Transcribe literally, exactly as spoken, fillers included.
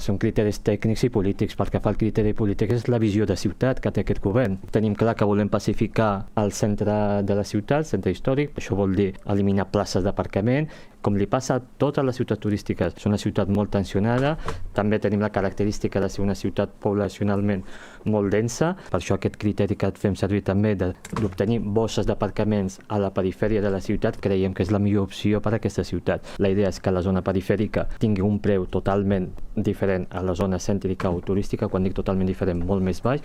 Són criteris tècnics i polítics. Pel que fa al criteri polític és la visió de ciutat que té aquest govern. Tenim clar que volem pacificar el centre de la ciutat, el centre històric. Això vol dir eliminar places d'aparcament, com li passa a totes les ciutats turístiques. És una ciutat molt tensionada, també tenim la característica de ser una ciutat poblacionalment molt densa, per això aquest criteri que fem servir també d'obtenir bosses d'aparcaments a la perifèria de la ciutat creiem que és la millor opció per a aquesta ciutat. La idea és que la zona perifèrica tingui un preu totalment diferent a la zona cèntrica o turística, quan dic totalment diferent, molt més baix,